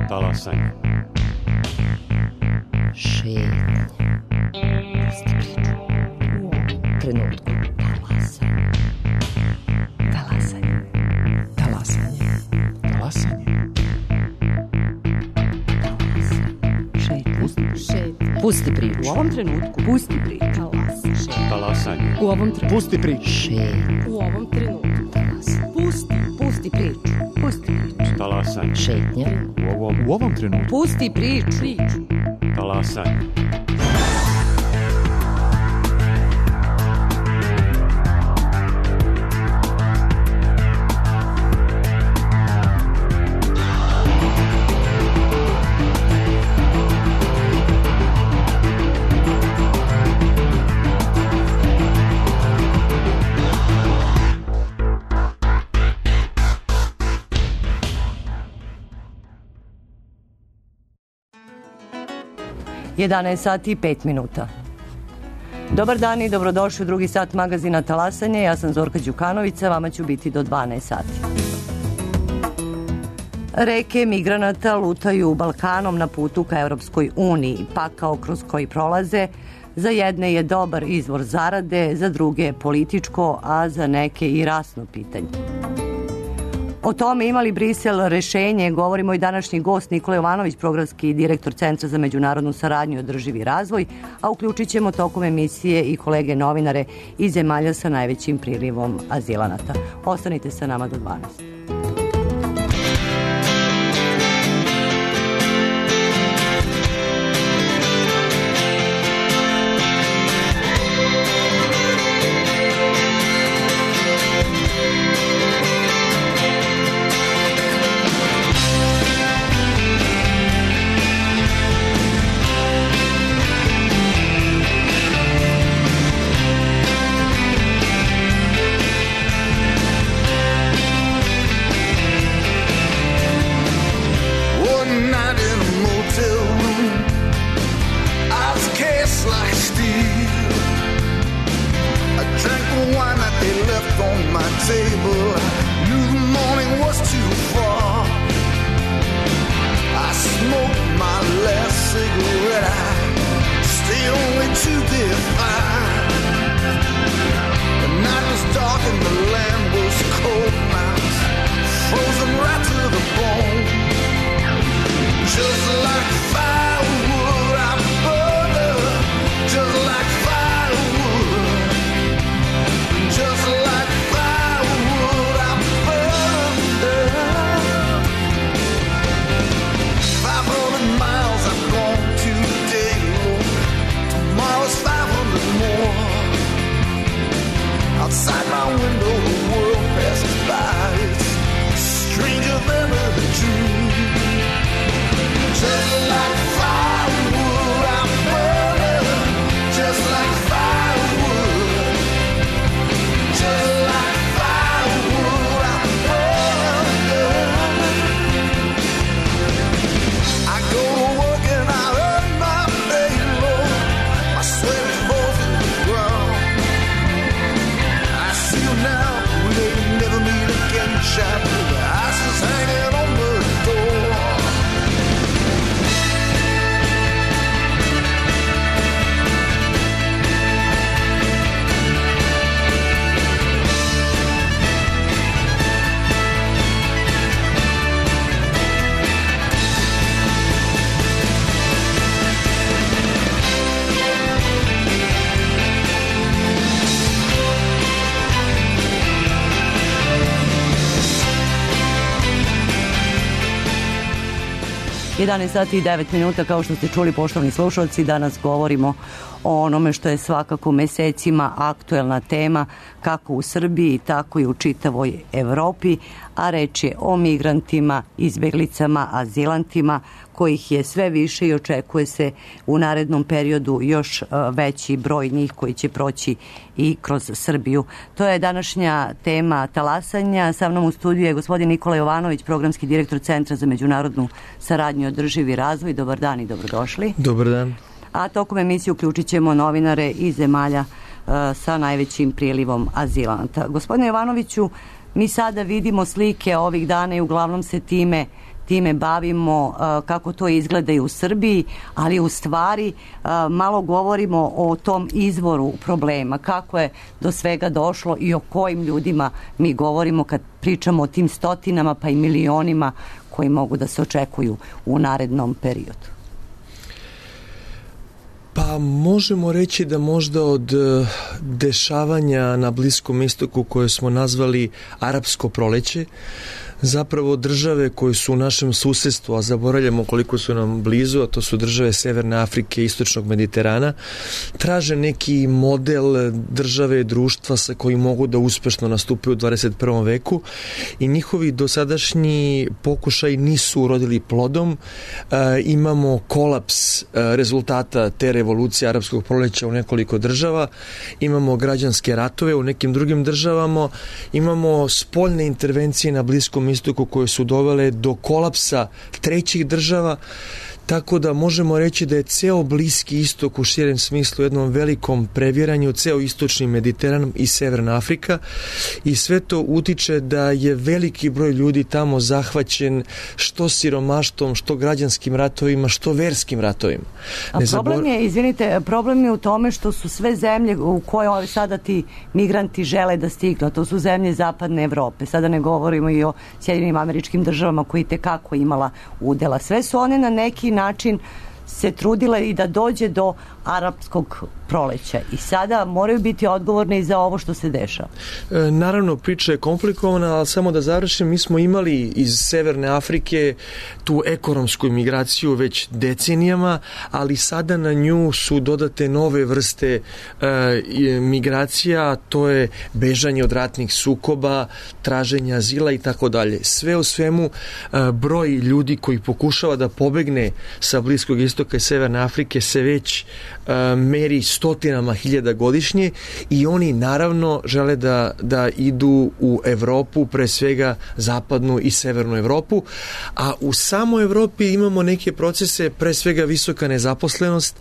Talasanje. Šetnje. Pusti priču. U ovom trenutku. Talasanje. Talasanje. Talasanje. Talasanje. Šetnje. Pusti priču. U ovom trenutku. Pusti priču. Talasanje. U ovom trenutku. Pusti priču. Šetnje. U ovom trenutku. Talasanje. Pusti priču. Pusti priču. Talasanje. Šetnje. U ovom trenutku. Pusti priču. Talasanje. Jedanaest sati i 5 minuta. Dobar dan i dobrodošli u drugi sat magazina Talasanje. Ja sam Zorka Đukanovića, vama ću biti do 12 sati. Reke migranata lutaju Balkanom na putu ka Evropskoj uniji. Pakao kroz koji prolaze za jedne je dobar izvor zarade, za druge političko, a za neke i rasno pitanje. O tome ima li Brisel rešenje, govorimo i današnji gost Nikola Jovanović, programski direktor Centra za međunarodnu saradnju i održivi razvoj, a uključit ćemo tokom emisije i kolege novinare iz zemalja sa najvećim prilivom azilanata. Ostanite sa nama do 12. Jedanaest sati i 9 minuta, kao što ste čuli, poštovani slušalci, danas govorimo o onome što je svakako mesecima aktuelna tema, kako u Srbiji, tako i u čitavoj Evropi, a reč je o migrantima, izbeglicama, azilantima, kojih je sve više i očekuje se u narednom periodu još veći broj njih koji će proći i kroz Srbiju. To je današnja tema Talasanja. Sa mnom u studiju je gospodin Nikola Jovanović, programski direktor Centra za međunarodnu saradnju i održivi razvoj. Dobar dan i dobrodošli. Dobar dan. A tokom emisije uključit ćemo novinare iz zemalja sa najvećim prilivom azilanata. Gospodine Jovanoviću, mi sada vidimo slike ovih dana i uglavnom se time time bavimo, kako to izgleda i u Srbiji, ali u stvari malo govorimo o tom izvoru problema, kako je do svega došlo i o kojim ljudima mi govorimo kad pričamo o tim stotinama pa i milionima koji mogu da se očekuju u narednom periodu. Pa možemo reći da možda od dešavanja na Bliskom istoku koje smo nazvali arapsko proleće, zapravo države koje su u našem susedstvu, a zaboravljamo koliko su nam blizu, a to su države Severne Afrike i Istočnog Mediterana, traže neki model države, društva sa kojim mogu da uspešno nastupaju u 21. veku i njihovi dosadašnji pokušaj nisu urodili plodom. Imamo kolaps rezultata te revolucije arapskog proleća u nekoliko država, imamo građanske ratove u nekim drugim državama, imamo spoljne intervencije na Bliskom istoku koje su dovele do kolapsa trećih država, tako da možemo reći da je ceo Bliski istok u širem smislu jednom velikom previranju, ceo istočni Mediteran i Severna Afrika i sve to utiče da je veliki broj ljudi tamo zahvaćen što siromaštvom, što građanskim ratovima, što verskim ratovima. A problem je u tome što su sve zemlje u koje sada ti migranti žele da stignu, to su zemlje zapadne Evrope. Sada ne govorimo i o Sjedinjenim Američkim Državama koji tekako imala udela. Sve su one na neki način se trudile i da dođe do arapskog proleća i sada moraju biti odgovorni za ovo što se dešava. Naravno, priča je komplikovana, ali samo da završim, mi smo imali iz Severne Afrike tu ekonomsku migraciju već decenijama, ali sada na nju su dodate nove vrste migracija, to je bežanje od ratnih sukoba, traženje azila i tako dalje. Sve u svemu, broj ljudi koji pokušava da pobegne sa Bliskog istoka i Severne Afrike se već meri stotinama hiljada godišnje i oni naravno žele da idu u Evropu, pre svega zapadnu i severnu Evropu, a u samoj Evropi imamo neke procese, pre svega visoka nezaposlenost,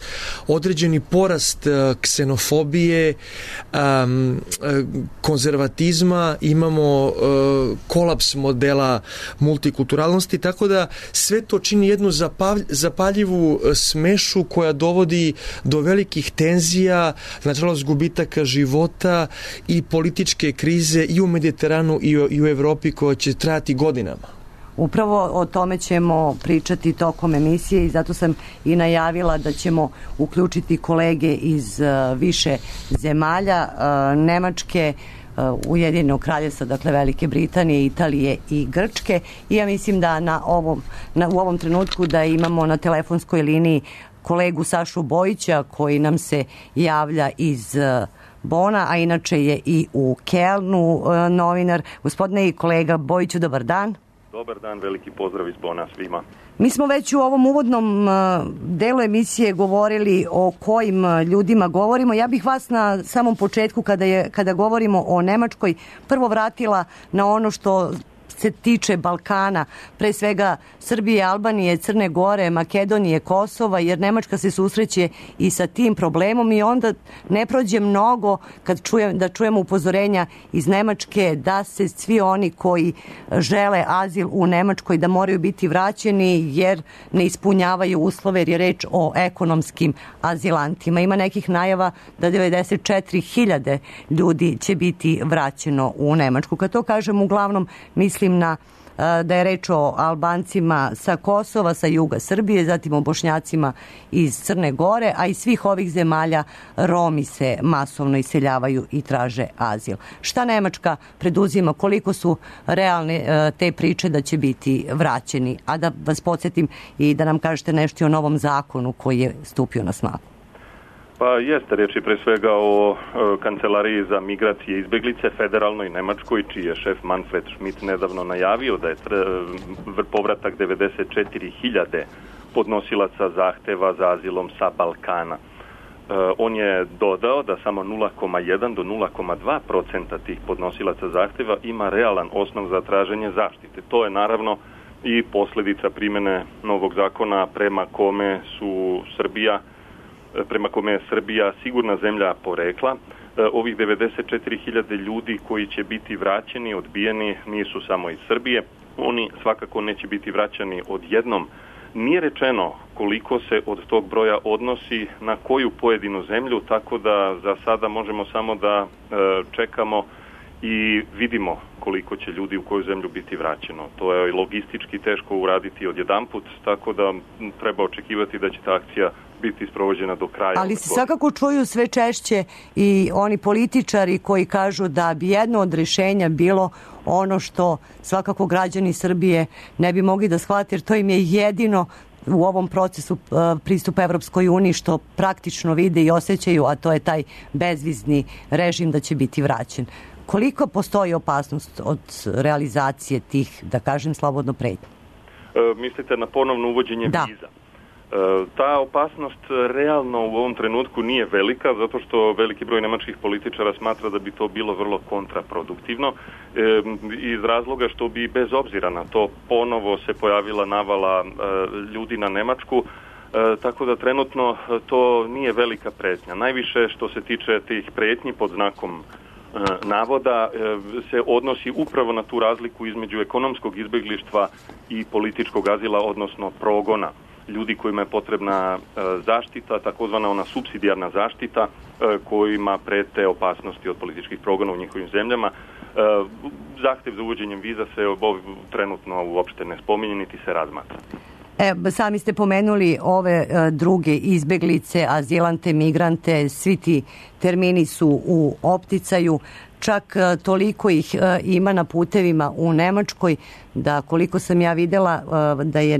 određeni porast ksenofobije, konzervatizma, imamo kolaps modela multikulturalnosti, tako da sve to čini jednu zapaljivu smešu koja dovodi do velikih tenzija, nažalost gubitaka života i političke krize i u Mediteranu i u Evropi koja će trajati godinama. Upravo o tome ćemo pričati tokom emisije i zato sam i najavila da ćemo uključiti kolege iz više zemalja, Nemačke, Ujedinjenog Kraljevstva, dakle Velike Britanije, Italije i Grčke i ja mislim da u ovom trenutku da imamo na telefonskoj liniji kolegu Sašu Bojića koji nam se javlja iz Bona, a inače je i u Kelnu novinar. Gospodine i kolega Bojiću, dobar dan. Dobar dan, veliki pozdrav iz Bona svima. Mi smo već u ovom uvodnom delu emisije govorili o kojim ljudima govorimo. Ja bih vas na samom početku kada govorimo o Nemačkoj prvo vratila na ono što se tiče Balkana, pre svega Srbije, Albanije, Crne Gore, Makedonije, Kosova, jer Nemačka se susreće i sa tim problemom i onda ne prođe mnogo kad čujemo upozorenja iz Nemačke da se svi oni koji žele azil u Nemačkoj da moraju biti vraćeni jer ne ispunjavaju uslove jer je reč o ekonomskim azilantima. Ima nekih najava da 94.000 ljudi će biti vraćeno u Nemačku. Kad to kažem, uglavnom mislim da je reč o Albancima sa Kosova, sa juga Srbije, zatim o Bošnjacima iz Crne Gore, a iz svih ovih zemalja Romi se masovno iseljavaju i traže azil. Šta Nemačka preduzima, koliko su realne te priče da će biti vraćeni? A da vas podsjetim i da nam kažete nešto o novom zakonu koji je stupio na snagu. Pa jeste, riječ je pre svega o Kancelariji za migracije i izbjeglice federalnoj Nemačkoj, čiji je šef Manfred Schmidt nedavno najavio da je povratak 94.000 podnosilaca zahteva za azilom sa Balkana. On je dodao da samo 0,1 do 0,2% tih podnosilaca zahteva ima realan osnov za traženje zaštite. To je naravno i posljedica primjene novog zakona prema kome je Srbija sigurna zemlja porekla. Ovih 94.000 ljudi koji će biti vraćeni, odbijeni, nisu samo iz Srbije. oni svakako neće biti vraćani odjednom. Nije rečeno koliko se od tog broja odnosi na koju pojedinu zemlju, tako da za sada možemo samo da čekamo i vidimo koliko će ljudi u koju zemlju biti vraćeno. To je logistički teško uraditi odjedanput, tako da treba očekivati da će ta akcija biti sprovođena do kraja. Ali se svakako čuju sve češće i oni političari koji kažu da bi jedno od rješenja bilo ono što svakako građani Srbije ne bi mogli da shvate, jer to im je jedino u ovom procesu pristupa Evropskoj uniji što praktično vide i osjećaju, a to je taj bezvizni režim da će biti vraćen. Koliko postoji opasnost od realizacije tih, da kažem, slobodno pretnje? Mislite na ponovno uvođenje viza? Ta opasnost realno u ovom trenutku nije velika, zato što veliki broj nemačkih političara smatra da bi to bilo vrlo kontraproduktivno, iz razloga što bi bez obzira na to ponovo se pojavila navala ljudi na Nemačku, tako da trenutno to nije velika pretnja. Najviše što se tiče tih pretnji pod znakom navoda se odnosi upravo na tu razliku između ekonomskog izbeglištva i političkog azila, odnosno progona ljudi kojima je potrebna zaštita, takozvana ona supsidijarna zaštita, kojima prete opasnosti od političkih progona u njihovim zemljama. Zahtev za uvođenjem viza se trenutno uopšte ne spominje, niti se razmatra. Sami ste pomenuli ove druge izbeglice, azilante, migrante, svi ti termini su u opticaju, čak toliko ih ima na putevima u Nemačkoj da koliko sam ja videla da je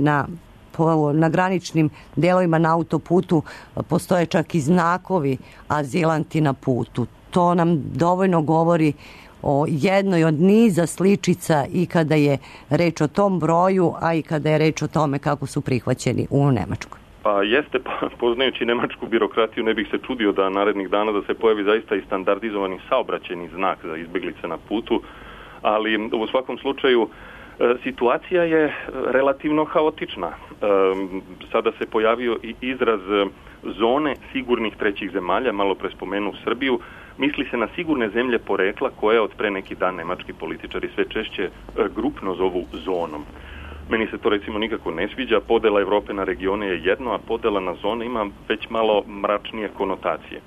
na graničnim delovima na autoputu postoje čak i znakovi azilanti na putu. To nam dovoljno govori o jednoj od niza sličica i kada je reč o tom broju, a i kada je reč o tome kako su prihvaćeni u Nemačkoj. Pa jeste, poznajući nemačku birokratiju, ne bih se čudio da narednih dana da se pojavi zaista i standardizovani saobraćajni znak za izbeglice na putu, ali u svakom slučaju situacija je relativno haotična. Sada se pojavio i izraz zone sigurnih trećih zemalja, malo pre spomenu Srbiju. Misli se na sigurne zemlje porekla koje od pre neki dan nemački političari sve češće grupno zovu zonom. Meni se to recimo nikako ne sviđa. Podela Evrope na regione je jedno, a podela na zone ima već malo mračnije konotacije.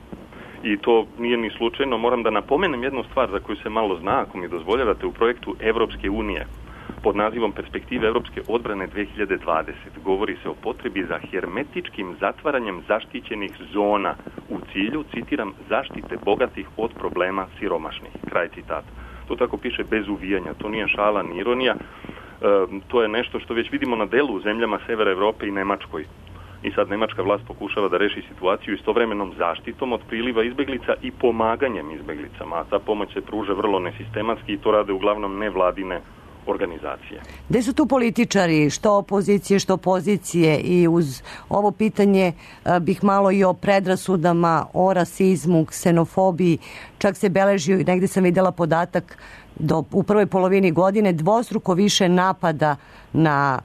I to nije ni slučajno. Moram da napomenem jednu stvar za koju se malo zna, ako mi dozvoljavate, u projektu Evropske unije pod nazivom Perspektive Evropske odbrane 2020. Govori se o potrebi za hermetičkim zatvaranjem zaštićenih zona u cilju, citiram, zaštite bogatih od problema siromašnih. Kraj citata. To tako piše bez uvijanja. To nije šala ni ironija. To je nešto što već vidimo na delu u zemljama Severa Evrope i Nemačkoj. I sad nemačka vlast pokušava da reši situaciju istovremenom zaštitom od priliva izbeglica i pomaganjem izbeglicama. A ta pomoć se pruža vrlo nesistematski i to rade uglavnom nevladine organizacije. Gde su tu političari, što opozicije, što pozicije, i uz ovo pitanje bih malo i o predrasudama, o rasizmu, ksenofobiji, čak se beleži, negde sam videla podatak, u prvoj polovini godine dvostruko više napada na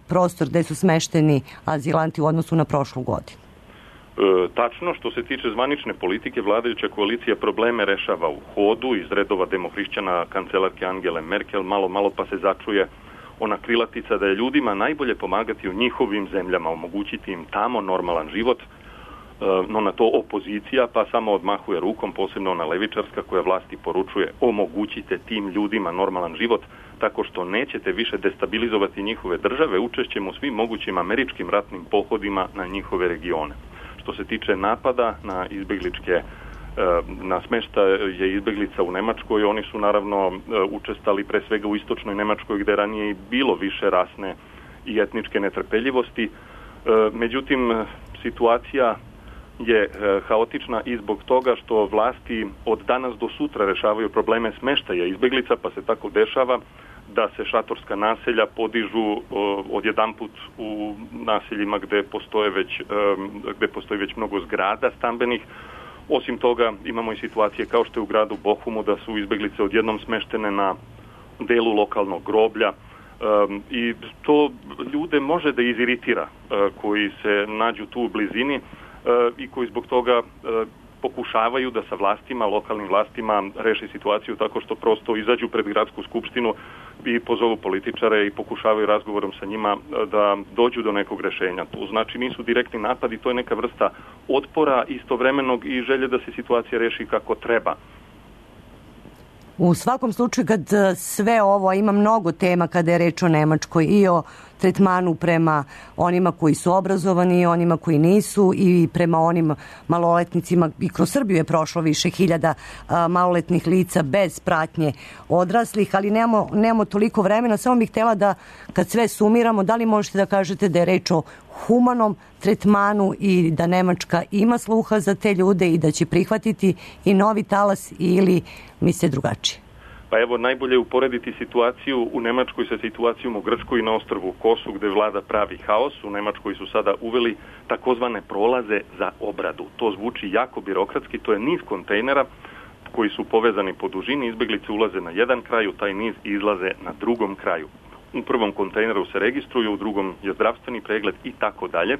prostor gde su smešteni azilanti u odnosu na prošlu godinu. Tačno, što se tiče zvanične politike, vladajuća koalicija probleme rešava u hodu iz redova demohrišćana kancelarke Angele Merkel, malo pa se začuje ona krilatica da je ljudima najbolje pomagati u njihovim zemljama, omogućiti im tamo normalan život, no na to opozicija pa samo odmahuje rukom, posebno ona levičarska koja vlasti poručuje omogućite tim ljudima normalan život tako što nećete više destabilizovati njihove države učešćem u svim mogućim američkim ratnim pohodima na njihove regione. Što se tiče napada na izbegličke, na smeštaje izbeglica u Nemačkoj, oni su naravno učestali pre svega u istočnoj Nemačkoj gde ranije i bilo više rasne i etničke netrpeljivosti. Međutim, situacija je haotična i zbog toga što vlasti od danas do sutra rešavaju probleme smeštaja izbeglica, pa se tako dešava da se šatorska naselja podižu odjedanput u naseljima gde postoji već mnogo zgrada stambenih. Osim toga imamo i situacije kao što je u gradu Bochumu da su izbeglice odjednom smeštene na delu lokalnog groblja i to ljude može da iziritira koji se nađu tu u blizini i koji zbog toga pokušavaju da sa vlastima, lokalnim vlastima reši situaciju tako što prosto izađu pred gradsku skupštinu i pozovu političare i pokušavaju razgovorom sa njima da dođu do nekog rešenja. To znači nisu direktni napadi, to je neka vrsta otpora istovremenog i želje da se situacija reši kako treba. U svakom slučaju, kad sve ovo, ima mnogo tema kada je reč o Nemačkoj i o tretmanu prema onima koji su obrazovani i onima koji nisu i prema onim maloletnicima, i kroz Srbiju je prošlo više hiljada maloletnih lica bez pratnje odraslih, ali nemamo toliko vremena. Samo bih htjela da, kad sve sumiramo, da li možete da kažete da je reč o humanom tretmanu i da Nemačka ima sluha za te ljude i da će prihvatiti i novi talas, ili misle drugačije? Pa evo, najbolje je uporediti situaciju u Nemačkoj sa situacijom u Grčkoj i na ostrvu Kosu, gde vlada pravi haos. U Nemačkoj su sada uveli takozvane prolaze za obradu. To zvuči jako birokratski, to je niz kontejnera koji su povezani po dužini, izbeglice ulaze na jedan kraj, u taj niz izlaze na drugom kraju. U prvom kontejneru se registruju, u drugom je zdravstveni pregled i tako dalje.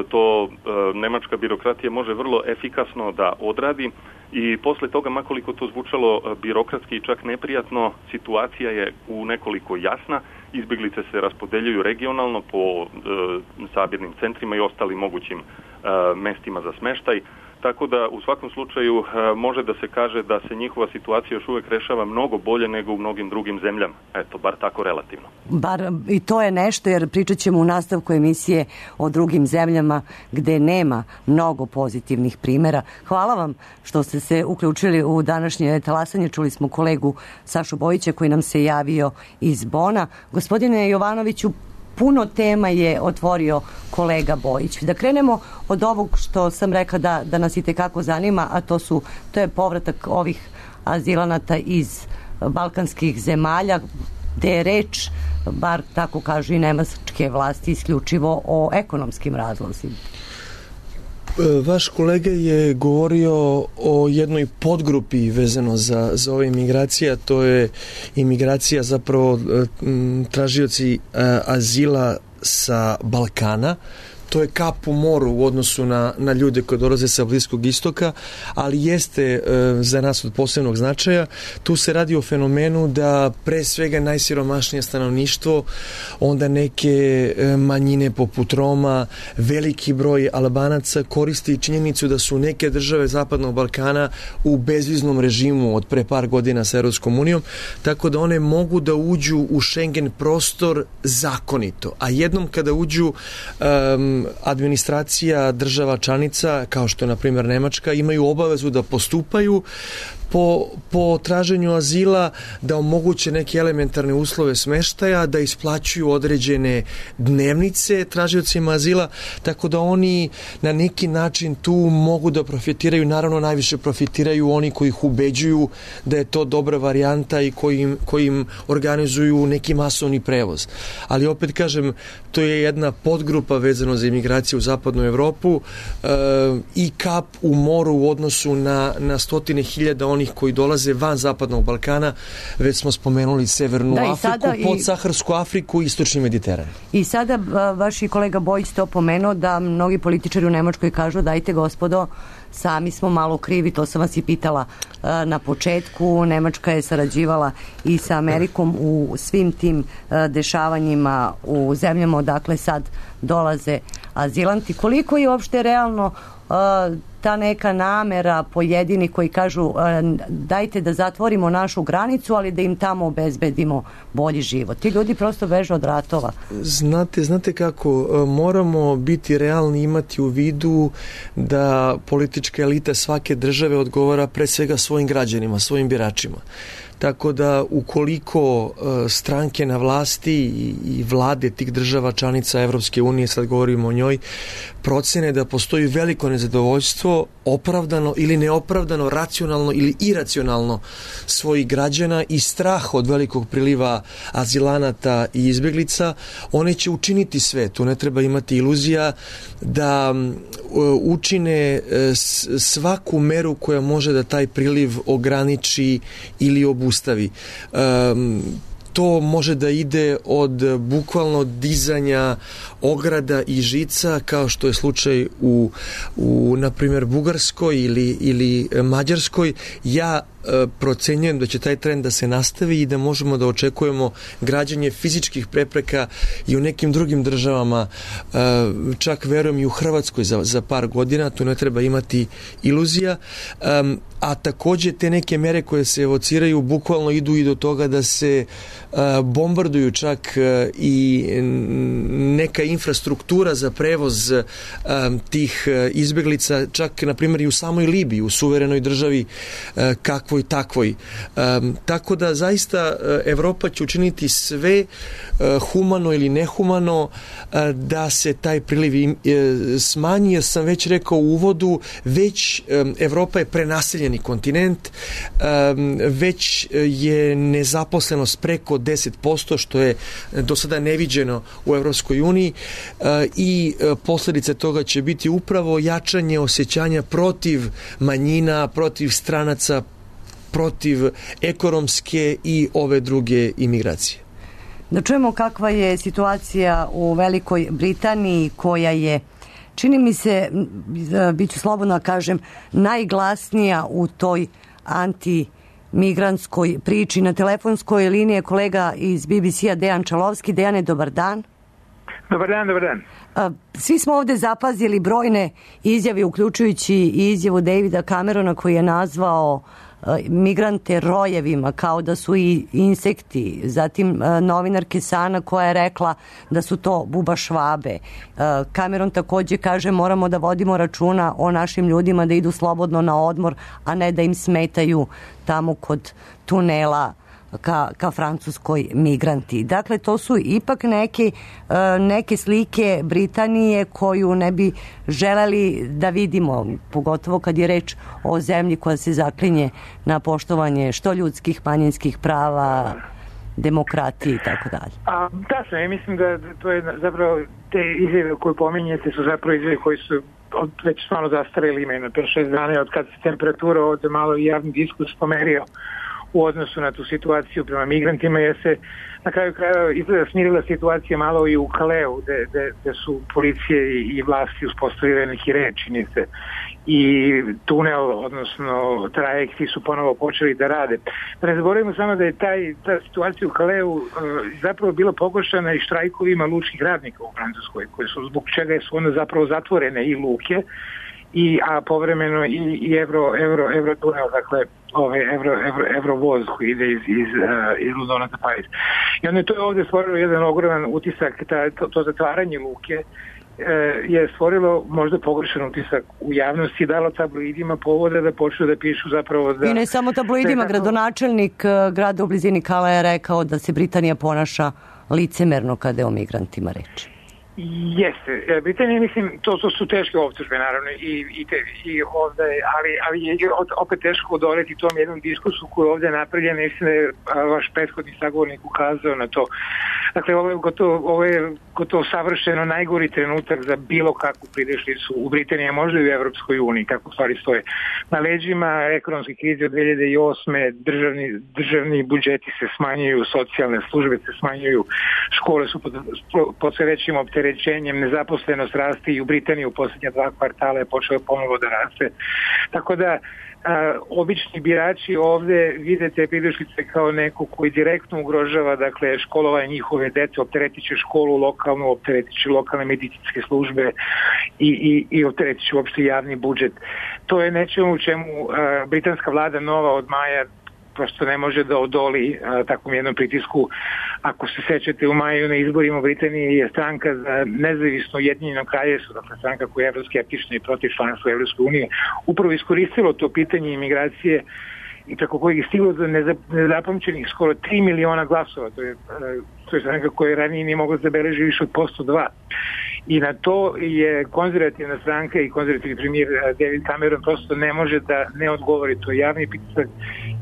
To nemačka birokratija može vrlo efikasno da odradi i posle toga, makoliko to zvučalo birokratski i čak neprijatno, situacija je u nekoliko jasna. Izbeglice se raspodeljuju regionalno po sabirnim centrima i ostalim mogućim mestima za smeštaj. Tako da u svakom slučaju može da se kaže da se njihova situacija još uvek rešava mnogo bolje nego u mnogim drugim zemljama. Eto, bar tako relativno. Bar i to je nešto, jer pričat ćemo u nastavku emisije o drugim zemljama gde nema mnogo pozitivnih primjera. Hvala vam što ste se uključili u današnje talasanje. Čuli smo kolegu Sašu Bojića koji nam se javio iz Bona. Gospodine Jovanoviću, puno tema je otvorio kolega Bojić. Da krenemo od ovog što sam rekla da nas i tekako zanima, a to je povratak ovih azilanata iz balkanskih zemalja, gde je reč, bar tako kažu i nemačke vlasti, isključivo o ekonomskim razlozima. Vaš kolega je govorio o jednoj podgrupi vezano za ove imigracije, a to je imigracija, zapravo tražioci azila sa Balkana. To je kap u moru u odnosu na ljude koji dolaze sa Bliskog istoka, ali jeste za nas od posebnog značaja. Tu se radi o fenomenu da pre svega najsiromašnije stanovništvo, onda neke manjine poput Roma, veliki broj Albanaca koristi činjenicu da su neke države Zapadnog Balkana u bezviznom režimu od pre par godina sa Europskom unijom, tako da one mogu da uđu u Schengen prostor zakonito. A jednom kada uđu, administracija država članica, kao što je na primjer Nemačka, imaju obavezu da postupaju po traženju azila, da omoguće neke elementarne uslove smeštaja, da isplaćuju određene dnevnice tražiocima azila, tako da oni na neki način tu mogu da profitiraju. Naravno, najviše profitiraju oni koji ih ubeđuju da je to dobra varijanta i koji im organizuju neki masovni prevoz. Ali opet kažem, to je jedna podgrupa vezano za imigraciju u zapadnu Evropu i kap u moru u odnosu na stotine hiljada onih koji dolaze van Zapadnog Balkana. Već smo spomenuli Severnu Afriku, podsaharsku Afriku i Istočni Mediteran. I sada vaš kolega Bojić to pomenuo da mnogi političari u Nemačkoj kažu: dajte gospodo, sami smo malo krivi, to sam vas i pitala na početku. Nemačka je sarađivala i sa Amerikom u svim tim dešavanjima u zemljama odakle sad dolaze azilanti. Koliko je uopšte realno ta neka namera pojedini koji kažu dajte da zatvorimo našu granicu, ali da im tamo obezbedimo bolji život? Ti ljudi prosto beže od ratova. Znate kako, moramo biti realni, imati u vidu da politička elita svake države odgovara pre svega svojim građanima, svojim biračima. Tako da ukoliko stranke na vlasti i vlade tih država članica Evropske unije, sad govorimo o njoj, procene da postoji veliko nezadovoljstvo, opravdano ili neopravdano, racionalno ili iracionalno svojih građana i strah od velikog priliva azilanata i izbeglica, one će učiniti sve. Tu ne treba imati iluzija da učine svaku meru koja može da taj priliv ograniči ili obustavi. to može da ide od bukvalno dizanja ograda i žica, kao što je slučaj u na primjer, Bugarskoj ili Mađarskoj. Ja procenjujem da će taj trend da se nastavi i da možemo da očekujemo građanje fizičkih prepreka i u nekim drugim državama, čak verujem i u Hrvatskoj za par godina, tu ne treba imati iluzija, a takođe te neke mere koje se evociraju bukvalno idu i do toga da se bombarduju čak i neka infrastruktura za prevoz tih izbeglica, čak na primjer i u samoj Libiji, u suverenoj državi kakvoj takvoj. Tako da zaista Evropa će učiniti sve, humano ili nehumano, da se taj priliv smanji, jer sam već rekao u uvodu, već Evropa je prenaseljeni kontinent, već je nezaposlenost preko 10%, što je do sada neviđeno u Evropskoj uniji, i posledice toga će biti upravo jačanje osjećanja protiv manjina, protiv stranaca, protiv ekonomske i ove druge imigracije. Da čujemo kakva je situacija u Velikoj Britaniji, koja je, čini mi se, bit ću slobodno kažem, najglasnija u toj antimigrantskoj priči. Na telefonskoj liniji je kolega iz BBC-a Dejan Čalovski. Dejane, dobar dan. Dobar dan, dobar dan. Svi smo ovde zapazili brojne izjave, uključujući i izjavu Davida Camerona, koji je nazvao migrante rojevima, kao da su i insekti. Zatim novinarke Sana, koja je rekla da su to bubašvabe. Cameron takođe kaže moramo da vodimo računa o našim ljudima, da idu slobodno na odmor, a ne da im smetaju tamo kod tunela ka Francuskoj migranti. Dakle, to su ipak neke slike Britanije koju ne bi želeli da vidimo, pogotovo kad je reč o zemlji koja se zaklinje na poštovanje što ljudskih, manjinskih prava, demokratije i tako dalje. Tačno, ja mislim da to je zapravo, te izjave koje pominjete su zapravo izjave koji su već stvarno zastareli, imaju na 5-6 dana od kad se temperatura ovde malo i javni diskus pomerio u odnosu na tu situaciju prema migrantima, jer se na kraju kraja izgleda smirila situacija malo i u Kaleu, gde su policije i vlasti uspostavile neki red, čini se, i tunel, odnosno trajekti su ponovo počeli da rade. Ne zaboravimo samo da je ta situacija u Kaleu zapravo bila pogoršana i štrajkovima lučkih radnika u Francuskoj, koji su, zbog čega su onda zapravo zatvorene i luke, a povremeno i Eurotunel, dakle Eurovoz koji ide iz Londona za Pariz. I onda je to ovde stvorilo jedan ogroman utisak, to zatvaranje luke je stvorilo možda pogrešan utisak u javnosti, dalo tabloidima povoda da počnu da pišu zapravo da... I ne samo tabloidima, gradonačelnik grada u blizini Kala je rekao da se Britanija ponaša licemerno kada je o migrantima reči. Jeste, Britanija, mislim, to su teške optužbe, naravno, i ovde, ali je opet teško odoleti tom jednom diskursu koji je ovde napravljen, mislim da je vaš prethodni sagovornik ukazao na to. Dakle, ovo je gotovo savršeno najgori trenutak za bilo kakvu pridešlicu u Britaniji, možda i u Evropskoj uniji, kako stvari stoje. Na leđima ekonomske krize od 2008. Državni budžeti se smanjuju, socijalne službe se smanjuju, škole su pod sve većim opterećenjem, nezaposlenost raste i u Britaniji u posljednja 2 kvartala je počeo ponovo da raste. Tako da obični birači ovde vide te pridešlice kao neko koji direktno ugrožava, dakle, školovanje njihove dece, opteretiće školu lokalnu, opteretiće lokalne medicinske službe i opteretiće uopšte javni budžet. To je nečemu u čemu britanska vlada nova od maja prosto ne može da odoli takvom jednom pritisku. Ako se sećate, u maju na izborima u Britaniji je stranka za nezavisno Ujedinjeno kraljevstvo, dakle stranka koja je evroskeptična i protiv članstva u Evropskoj uniji, upravo iskoristilo to pitanje imigracije i preko kojeg je stiglo do nezapamćenih skoro 3 miliona glasova. To je stranka koja ranije nije mogla zabeležiti više od 2%. I na to je konzervativna stranka i konzervativni premijer David Cameron prosto ne može da ne odgovori. To je javni pritisak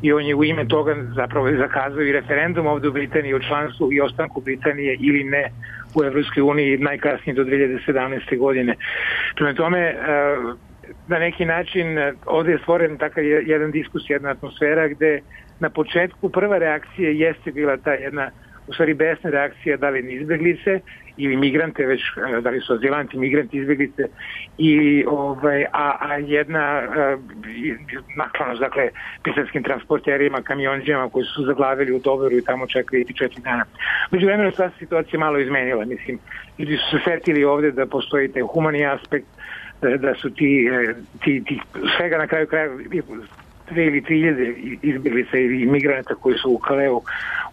i on je u ime toga zapravo zakazao i referendum ovde u Britaniji o članstvu i ostanku Britanije ili ne u Evropskoj uniji najkasnije do 2017. godine. Prema tome, na neki način ovde je stvoren takav jedan diskus, jedna atmosfera gde na početku prva reakcija jeste bila ta jedna, u stvari besna reakcija, da li izbeglice ili migrante, već da li su azilanti, migranti, izbeglice, a jedna naklonost, dakle, pisarskim transporterima, kamionđama koji su zaglavili u Doveru i tamo čekali 4 dana. Međuvremeno sva situacija malo izmenila, mislim, ljudi su se setili ovde da postoji taj humani aspekt, da su ti svega na kraju kraja 2 ili 3.000 izbjeglica ili migranata koji su u Kaleu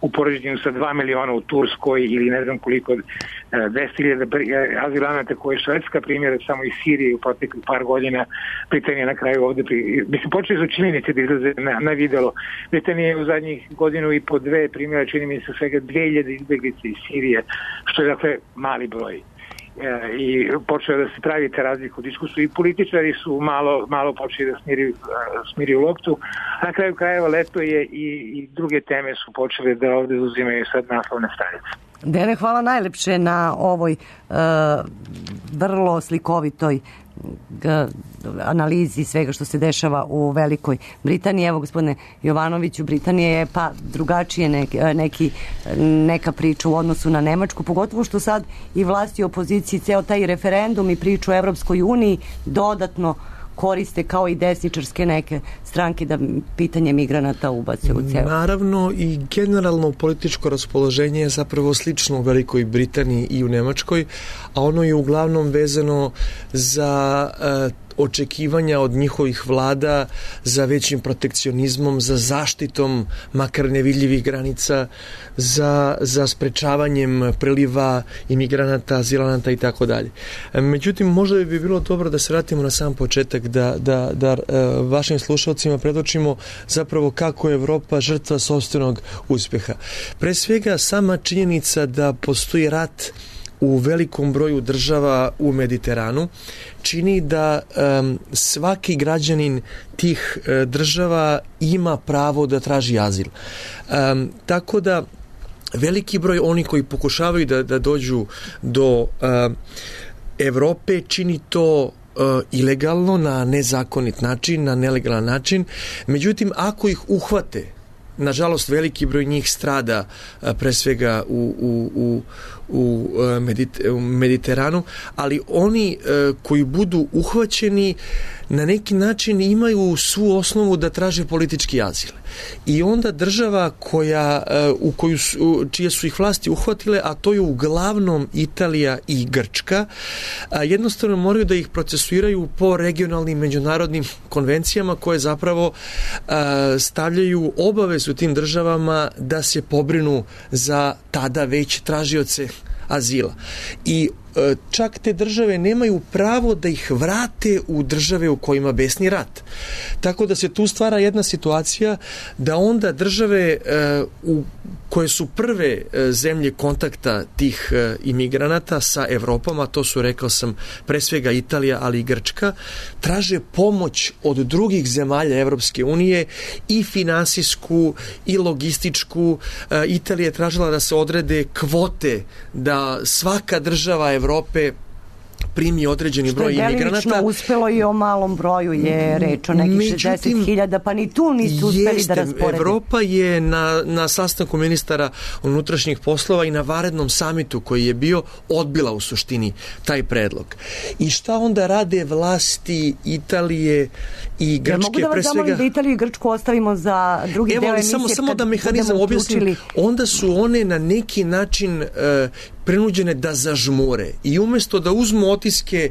u poređenju sa 2 miliona u Turskoj ili ne znam koliko 200.000 azilanata koji je Švedska primjera samo iz Sirije u proteklih par godina. Britanija na kraju ovde mislim, počeli su činjenice da izlaze na videlo. Britanija je u zadnjih godinu i po 2 primjera, čini mi se svega 2.000 izbjeglica iz Sirije, što je dakle mali broj. I počeo da se pravite razliku u diskusiju i političari su malo počeli da smiriju loptu, a na kraju krajeva leto je i druge teme su počele da ovde uzimaju sad naslovne stranice. Dene, hvala najlepše na ovoj vrlo slikovitoj analizi svega što se dešava u Velikoj Britaniji. Evo, gospodine Jovanoviću, Britanija je pa drugačije neka priča u odnosu na Nemačku, pogotovo što sad i vlasti i opoziciji ceo taj referendum i priču o Evropskoj uniji dodatno koriste kao i desničarske neke stranke da pitanje migranata ubace u ceo. Naravno, i generalno političko raspoloženje je zapravo slično u Velikoj Britaniji i u Nemačkoj, a ono je uglavnom vezano za očekivanja od njihovih vlada za većim protekcionizmom, za zaštitom makar nevidljivih granica, za sprečavanjem priliva imigranata, azilanata i tako dalje. Međutim, možda bi bilo dobro da se vratimo na sam početak, da vašim slušalcima predočimo zapravo kako je Evropa žrtva sopstvenog uspeha. Pre svega, sama činjenica da postoji rat u velikom broju država u Mediteranu čini da svaki građanin tih država ima pravo da traži azil. Tako da veliki broj onih koji pokušavaju da dođu do Evrope čini to ilegalno, na nezakonit način, na nelegalan način. Međutim, ako ih uhvate, nažalost veliki broj njih strada pre svega u Mediteranu, ali oni koji budu uhvaćeni na neki način imaju svu osnovu da traže politički azil. I onda država čije su ih vlasti uhvatile, a to je uglavnom Italija i Grčka, jednostavno moraju da ih procesuiraju po regionalnim međunarodnim konvencijama koje zapravo stavljaju obavezu tim državama da se pobrinu za tada već tražioce azila. I čak te države nemaju pravo da ih vrate u države u kojima besni rat. Tako da se tu stvara jedna situacija da onda države koje su prve zemlje kontakta tih imigranata sa Evropom, a to su, rekao sam, pre svega Italija, ali i Grčka, traže pomoć od drugih zemalja Evropske unije i finansijsku i logističku. Italija je tražila da se odrede kvote da svaka država Evrope primi određeni broj imigranata. Što je delimično uspelo i o malom broju je reč o nekih 60.000, pa ni tu nisu uspeli da rasporede. Evropa je na sastanku ministara unutrašnjih poslova i na vanrednom samitu koji je bio odbila u suštini taj predlog. I šta onda rade vlasti Italije i Grčke? Mogu da vas zamolim da Italiju i Grčku ostavimo za drugi deo emisije? Samo da mehanizam objasnim. Onda su one na neki način prinuđene da zažmure i umjesto da uzmu otiske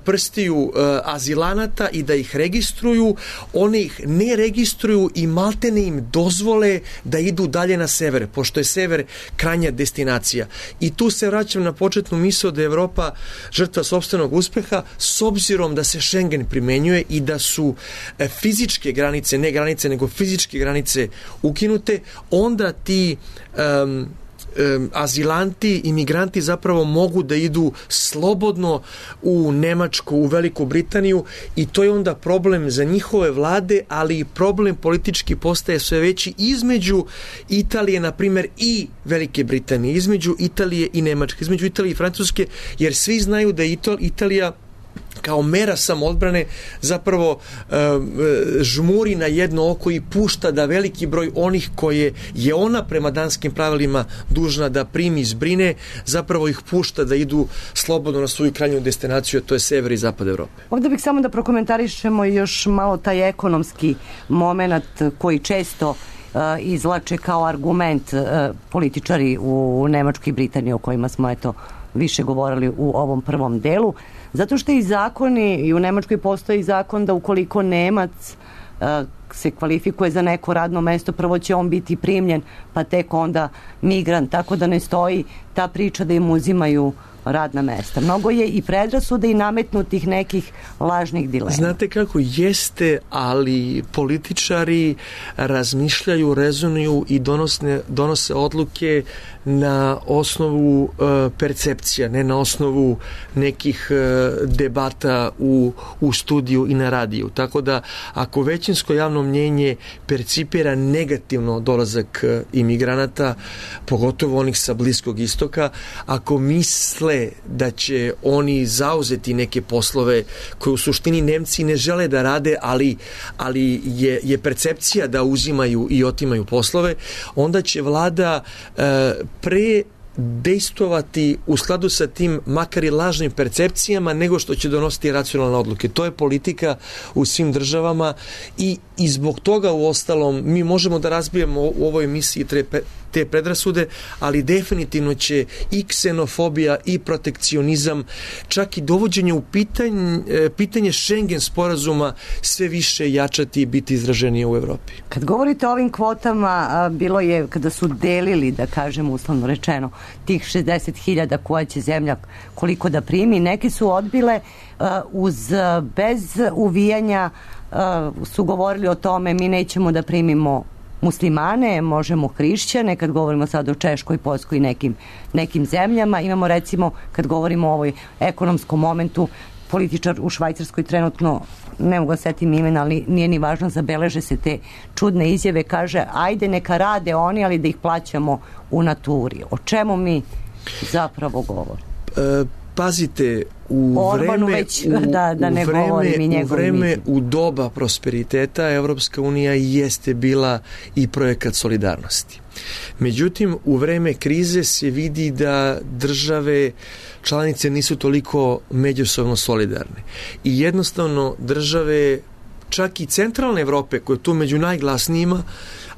prstiju azilanata i da ih registruju, one ih ne registruju i maltene im dozvole da idu dalje na sever, pošto je sever krajnja destinacija. I tu se vraćam na početnu misao da je Evropa žrtva sopstvenog uspeha, s obzirom da se Schengen primenjuje i da su fizičke granice, ne granice, nego fizičke granice ukinute, onda ti azilanti, imigranti zapravo mogu da idu slobodno u Nemačku, u Veliku Britaniju i to je onda problem za njihove vlade, ali i problem politički postaje sve veći između Italije, na primjer, i Velike Britanije, između Italije i Nemačke, između Italije i Francuske, jer svi znaju da je Italija kao mera samoodbrane zapravo žmuri na jedno oko i pušta da veliki broj onih koje je ona prema danskim pravilima dužna da primi i zbrine, zapravo ih pušta da idu slobodno na svoju krajnju destinaciju, a to je sever i zapad Evrope. Ovdje bih samo da prokomentarišemo još malo taj ekonomski moment koji često izlače kao argument političari u Nemačkoj i Britaniji, o kojima smo više govorili u ovom prvom delu, zato što i zakoni, i u Nemačkoj postoji zakon da ukoliko Nemac se kvalifikuje za neko radno mesto, prvo će on biti primljen, pa tek onda migrant, tako da ne stoji ta priča da im uzimaju radna mesta. Mnogo je i predrasuda i nametnutih nekih lažnih dilema. Znate kako jeste, ali političari razmišljaju, rezonuju i donose odluke na osnovu percepcija, ne na osnovu nekih debata u studiju i na radiju. Tako da ako većinsko javno mnjenje percipira negativno dolazak imigranata, pogotovo onih sa Bliskog istoka, ako misle da oni zauzeti neke poslove koje u suštini Nemci ne žele da rade, ali je percepcija da uzimaju i otimaju poslove, onda će vlada pre dejstvovati u skladu sa tim makar i lažnim percepcijama nego što će donositi racionalne odluke. To je politika u svim državama i zbog toga u ostalom mi možemo da razbijemo u ovoj emisiji te predrasude, ali definitivno će i ksenofobija i protekcionizam, čak i dovođenje u pitanje Schengen sporazuma sve više jačati i biti izraženije u Evropi. Kad govorite o ovim kvotama, bilo je kada su delili, da kažem uslovno rečeno, tih 60.000 koja će zemlja koliko da primi, neki su odbile bez uvijanja, su govorili o tome mi nećemo da primimo muslimane, možemo hrišćane, kad govorimo sad o Češkoj, Poljskoj i nekim zemljama. Imamo recimo, kad govorimo o ovoj ekonomskom momentu, političar u Švajcarskoj trenutno, ne mogu da setim imena, ali nije ni važno, zabeleže se te čudne izjave, kaže ajde neka rade oni, ali da ih plaćamo u naturi. O čemu mi zapravo govorimo? Pazite, u vreme u doba prosperiteta Evropska unija jeste bila i projekat solidarnosti. Međutim, u vreme krize se vidi da države članice nisu toliko međusobno solidarne. I jednostavno države, čak i centralne Evrope, koje je tu među najglasnijima,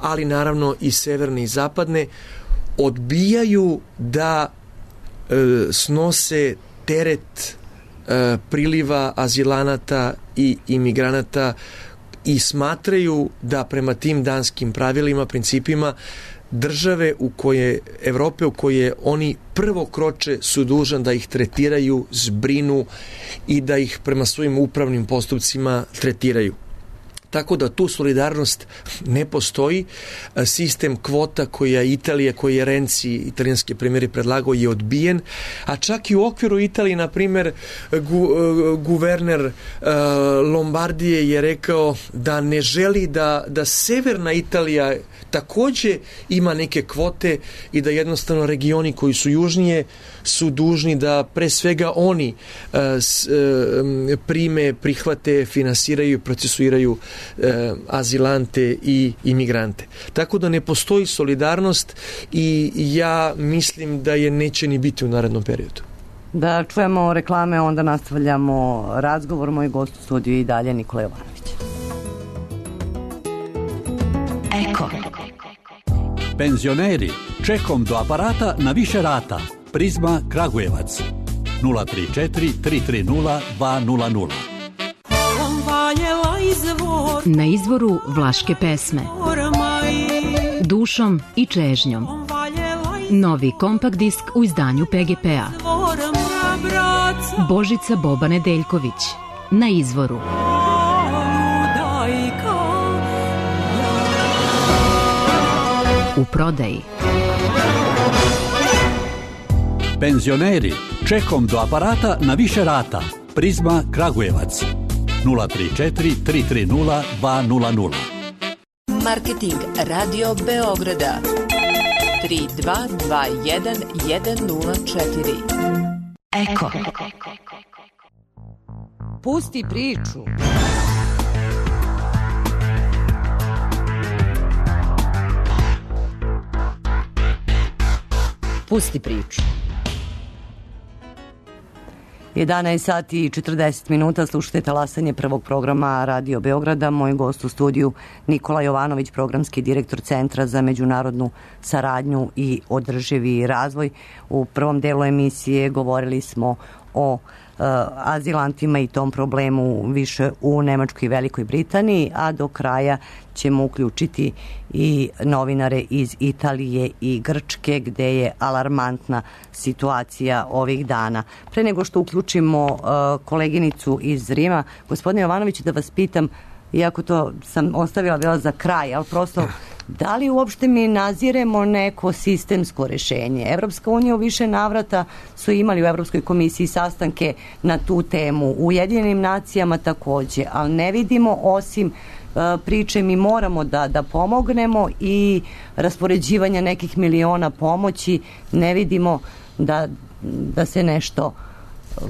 ali naravno i severne i zapadne, odbijaju da snose teret priliva azilanata i imigranata i smatraju da prema tim danskim pravilima, principima, države Evrope u koje oni prvo kroče su dužan da ih tretiraju, zbrinu i da ih prema svojim upravnim postupcima tretiraju. Tako da tu solidarnost ne postoji. Sistem kvota koji je Renzi, italijanski premijer, predlagao je odbijen, a čak i u okviru Italije, na primjer, guverner Lombardije je rekao da ne želi da severna Italija takođe ima neke kvote i da jednostavno regioni koji su južnije su dužni da pre svega oni prihvate, finansiraju i procesuiraju azilante i imigrante. Tako da ne postoji solidarnost i ja mislim da je neće ni biti u narednom periodu. Da čujemo reklame, onda nastavljamo razgovor. Moj gost u studiju i dalje Nikola Jovanović. Eko. Penzioneri, čekom do aparata na više rata. Prizma Kragujevac 034 330 200. Na izvoru vlaške pesme, dušom i čežnjom. Novi kompakt disk u izdanju PGP-a. Božica Boba Nedeljković. Na izvoru. U prodaji. Penzioneri, čekom do aparata na više rata. Prizma Kragujevac 034 330 200. Marketing Radio Beograda 3221 104. Eko. Pusti priču. Pusti priču. 11 sati i 40 minuta, slušate talasanje prvog programa Radio Beograda. Moj gost u studiju Nikola Jovanović, programski direktor Centra za međunarodnu saradnju i održivi razvoj. U prvom delu emisije govorili smo o azilantima i tom problemu više u Nemačkoj i Velikoj Britaniji, a do kraja ćemo uključiti i novinare iz Italije i Grčke, gde je alarmantna situacija ovih dana. Pre nego što uključimo koleginicu iz Rima, gospodine Jovanović, da vas pitam, iako to sam ostavila bila za kraj, ali prosto, da li uopšte mi naziremo neko sistemsko rešenje? Evropska unija u više navrata su imali u Evropskoj komisiji sastanke na tu temu, u Ujedinjenim nacijama takođe, ali ne vidimo osim priče mi moramo da pomognemo i raspoređivanja nekih miliona pomoći, ne vidimo da se nešto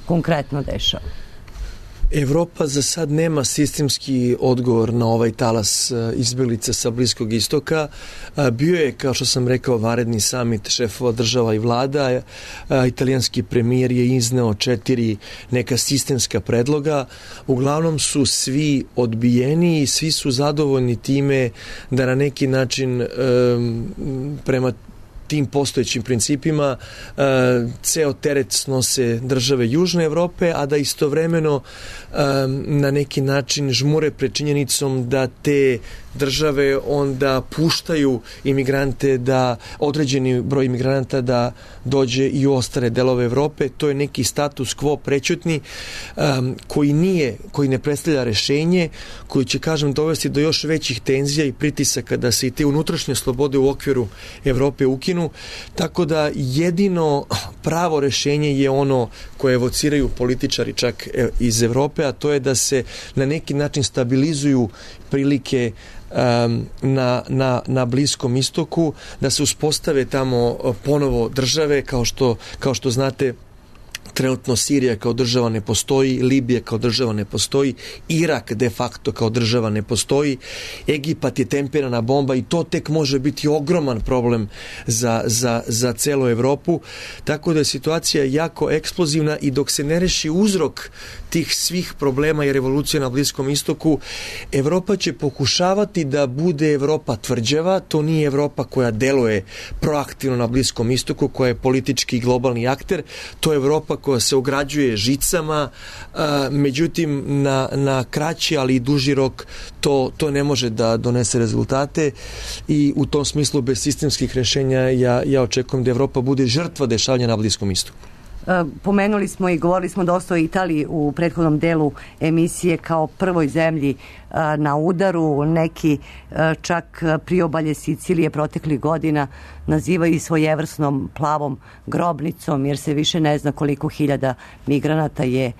konkretno dešava. Evropa za sad nema sistemski odgovor na ovaj talas izbeglica sa Bliskog istoka. Bio je, kao što sam rekao, vanredni samit šefova država i vlada. Italijanski premijer je izneo 4 neka sistemska predloga. Uglavnom su svi odbijeni i svi su zadovoljni time da na neki način prema tim postojećim principima ceo teret snose države Južne Evrope, a da istovremeno na neki način žmure pred činjenicom da te države onda puštaju imigrante, da određeni broj imigranata da dođe i u ostale delove Evrope. To je neki status quo prećutni koji ne predstavlja rešenje, koji će, kažem, dovesti do još većih tenzija i pritisaka da se i te unutrašnje slobode u okviru Evrope ukinu. Tako da jedino pravo rešenje je ono koje evociraju političari čak iz Evrope, a to je da se na neki način stabilizuju prilike na Bliskom istoku, da se uspostave tamo ponovo države, kao što znate, trenutno Sirija kao država ne postoji, Libija kao država ne postoji, Irak de facto kao država ne postoji, Egipat je tempirana bomba i to tek može biti ogroman problem za celu Evropu, tako da je situacija jako eksplozivna i dok se ne reši uzrok tih svih problema i revolucija na Bliskom istoku, Evropa će pokušavati da bude Evropa tvrđava, to nije Evropa koja deluje proaktivno na Bliskom istoku, koja je politički i globalni akter, to je Evropa koja se ograđuje žicama, međutim na kraći, ali i duži rok to ne može da donese rezultate i u tom smislu bez sistemskih rešenja ja očekujem da Evropa bude žrtva dešavanja na Bliskom istoku. Pomenuli smo i govorili smo dosta o Italiji u prethodnom delu emisije kao prvoj zemlji na udaru. Neki čak priobalje Sicilije proteklih godina nazivaju i svojevrsnom plavom grobnicom, jer se više ne zna koliko hiljada migranata je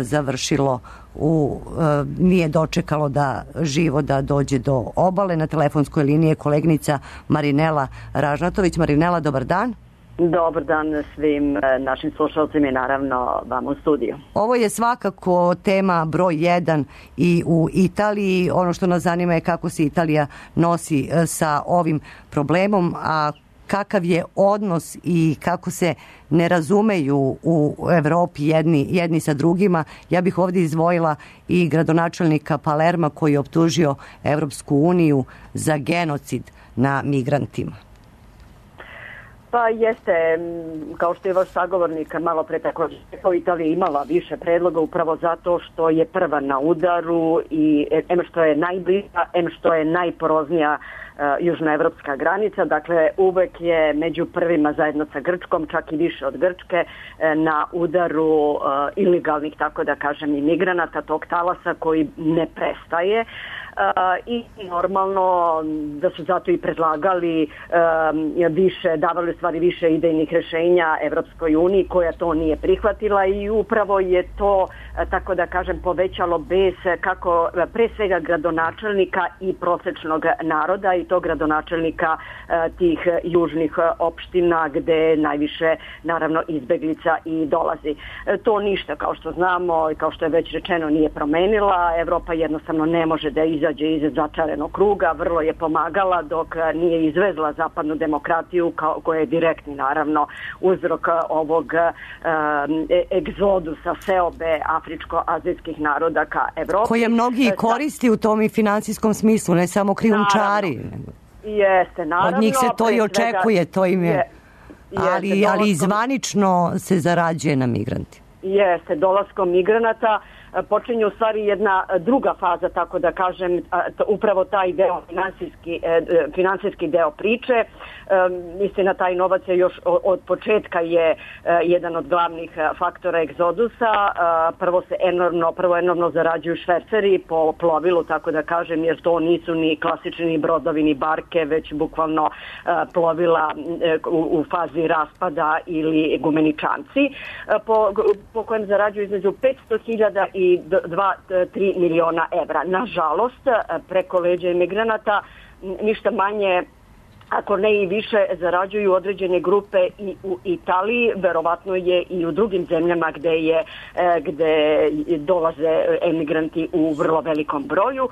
završilo nije dočekalo da živo da dođe do obale. Na telefonskoj liniji je koleginica Marinela Ražnatović. Marinela, dobar dan. Dobar dan svim našim slušalcima i naravno vam u studiju. Ovo je svakako tema broj 1 i u Italiji. Ono što nas zanima je kako se Italija nosi sa ovim problemom, a kakav je odnos i kako se ne razumeju u Evropi jedni sa drugima. Ja bih ovdje izdvojila i gradonačelnika Palerma koji je optužio Evropsku uniju za genocid na migrantima. Pa jeste, kao što je vaš sagovornik malo pre tako rekao, Italija imala više predloga upravo zato što je prva na udaru i što je najbliža, što je najporoznija južnoevropska granica, dakle uvek je među prvima zajedno sa Grčkom, čak i više od Grčke, na udaru ilegalnih, tako da kažem, imigranata, tog talasa koji ne prestaje. i normalno da su zato i predlagali više, davali u stvari više idejnih rješenja Evropskoj uniji koja to nije prihvatila i upravo je to, tako da kažem, povećalo bes kako pre svega gradonačelnika i prosečnog naroda i to gradonačelnika tih južnih opština gde najviše naravno izbeglica i dolazi. To ništa, kao što znamo i kao što je već rečeno, nije promenila. Evropa jednostavno ne može da izađe iz začarenog kruga, vrlo je pomagala dok nije izvezla zapadnu demokratiju koja je direktni naravno uzrok ovog egzodusa seobe afričko-azijskih naroda ka Evropi. Koje mnogi koristi u tom i finansijskom smislu, ne samo krijumčari. Jeste, naravno. Od njih se to i očekuje, to im je, ali izvanično se zarađuje na migranti. Jeste, dolaskom migranata počinje u stvari jedna druga faza, tako da kažem, upravo taj deo, finansijski deo priče. Istina, taj novac je još od početka je jedan od glavnih faktora egzodusa. Prvo enormno zarađuju šverceri po plovilu, tako da kažem, jer to nisu ni klasični ni brodovi ni barke, već bukvalno plovila u fazi raspada ili gumeničanci, po kojem zarađuju između 500.000 i 2-3 miliona evra. Nažalost, preko leđa imigranata ništa manje, ako ne i više, zarađuju određene grupe i u Italiji, verovatno je i u drugim zemljama gde dolaze emigranti u vrlo velikom broju.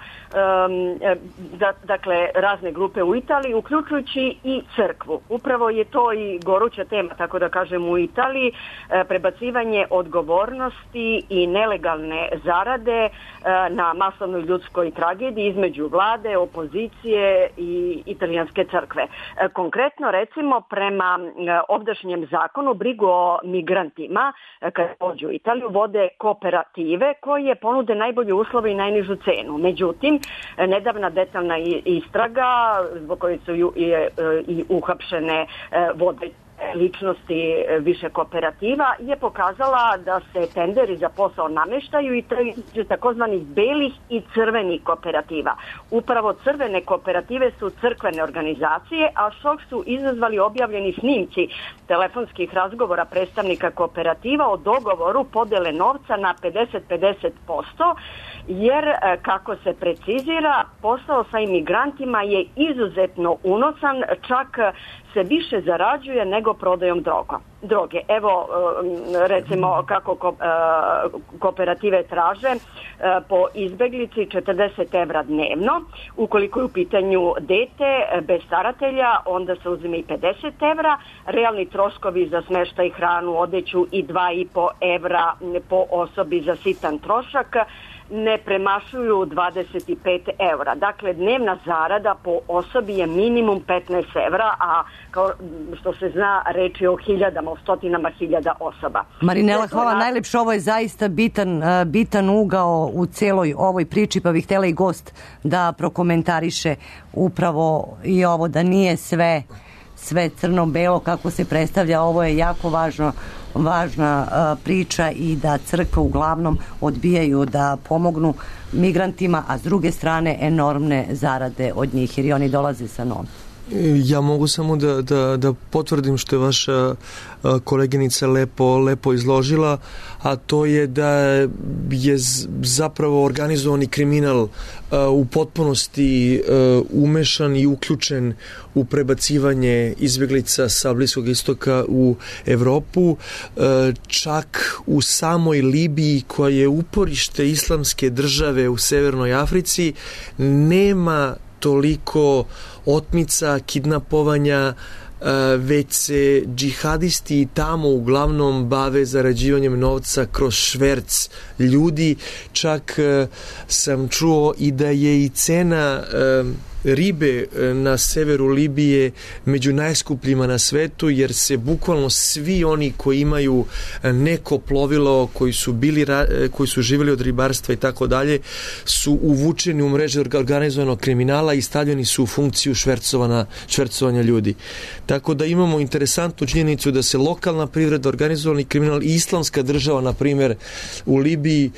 Dakle, razne grupe u Italiji, uključujući i crkvu. Upravo je to i goruća tema, tako da kažem, u Italiji, prebacivanje odgovornosti i nelegalne zarade na masovnoj ljudskoj tragediji između vlade, opozicije i italijanske crkve. Konkretno, recimo, prema ovdašnjem zakonu, brigu o migrantima kad dođu u Italiju vode kooperative koje ponude najbolje uslove i najnižu cenu. Međutim, nedavna detaljna istraga zbog koje su i uhapšene vode ličnosti više kooperativa je pokazala da se tenderi za posao nameštaju i takozvanih belih i crvenih kooperativa. Upravo crvene kooperative su crkvene organizacije, a šok su izazvali objavljeni snimci telefonskih razgovora predstavnika kooperativa o dogovoru podele novca na 50-50%, jer kako se precizira, posao sa imigrantima je izuzetno unosan, čak se više zarađuje nego prodajom droge. Evo, recimo, kako kooperative traže po izbeglici 40 evra dnevno. Ukoliko je u pitanju dete bez staratelja, onda se uzime i 50 evra. Realni troškovi za smeštaj, hranu, odeću i 2,5 evra po osobi za sitan trošak ne premašuju 25 evra. Dakle, dnevna zarada po osobi je minimum 15 evra, a kao što se zna, reč je o hiljadama, o stotinama hiljada osoba. Marinela, hvala najlepše. Ovo je zaista bitan ugao u celoj ovoj priči, pa bih htjela i gost da prokomentariše upravo i ovo, da nije sve crno-belo kako se predstavlja. Ovo je jako važna priča i da crkve uglavnom odbijaju da pomognu migrantima, a s druge strane enormne zarade od njih, jer i oni dolaze sa novcem. Ja mogu samo da potvrdim što je vaša koleginica lepo izložila, a to je da je zapravo organizovani kriminal u potpunosti umešan i uključen u prebacivanje izbjeglica sa Bliskog istoka u Evropu, čak u samoj Libiji, koja je uporište islamske države u Severnoj Africi, nema toliko otmica, kidnapovanja, već se džihadisti tamo uglavnom bave zarađivanjem novca kroz šverc ljudi. Čak sam čuo i da je i cena ribe na severu Libije među najskupljima na svetu, jer se bukvalno svi oni koji imaju neko plovilo, koji su živjeli od ribarstva i tako dalje, su uvučeni u mreže organizovanog kriminala i stavljeni su u funkciju švercovanja ljudi. Tako da imamo interesantnu činjenicu da se lokalna privreda, organizovani kriminal i islamska država, na primjer, u Libiji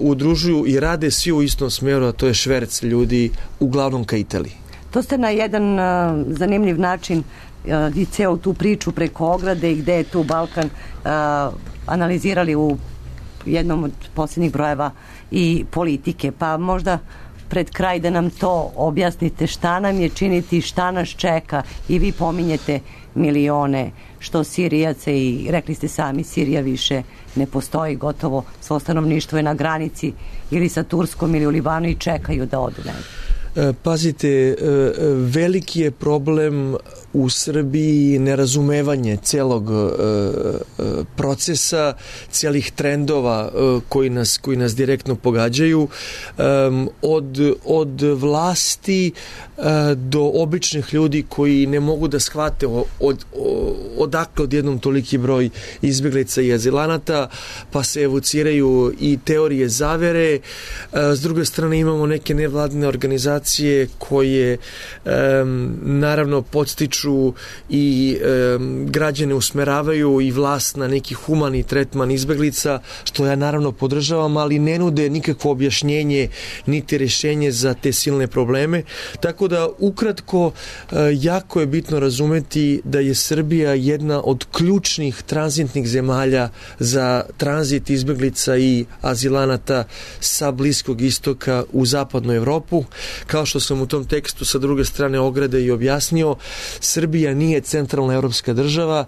udružuju i rade svi u istom smeru, a to je šverc ljudi, uglavnom ka Italiji. To ste na jedan zanimljiv način i ceo tu priču preko ograde i gde je tu Balkan analizirali u jednom od posljednjih brojeva i politike. Pa možda pred kraj da nam to objasnite, šta nam je činiti, šta nas čeka, i vi pominjete milione što Sirijaca, i rekli ste sami, Sirija više ne postoji, gotovo svo stanovništvo je na granici ili sa Turskom ili u Libanu i čekaju da odu negdje. Pazite, veliki je problem u Srbiji nerazumevanje celog procesa, cijelih trendova koji nas direktno pogađaju, od vlasti do običnih ljudi koji ne mogu da shvate odakle odjednom toliki broj izbjeglica i azilanata, pa se evociraju i teorije zavere. S druge strane imamo neke nevladine organizacije koje naravno podstiču i građane usmeravaju i vlast na neki humani tretman izbeglica, što ja naravno podržavam, ali ne nude nikakvo objašnjenje niti rješenje za te silne probleme. Tako da ukratko jako je bitno razumeti da je Srbija jedna od ključnih tranzitnih zemalja za tranzit izbeglica i azilanata sa Bliskog istoka u zapadnu Evropu. Kao što sam u tom tekstu sa druge strane ograde i objasnio, Srbija nije centralna evropska država,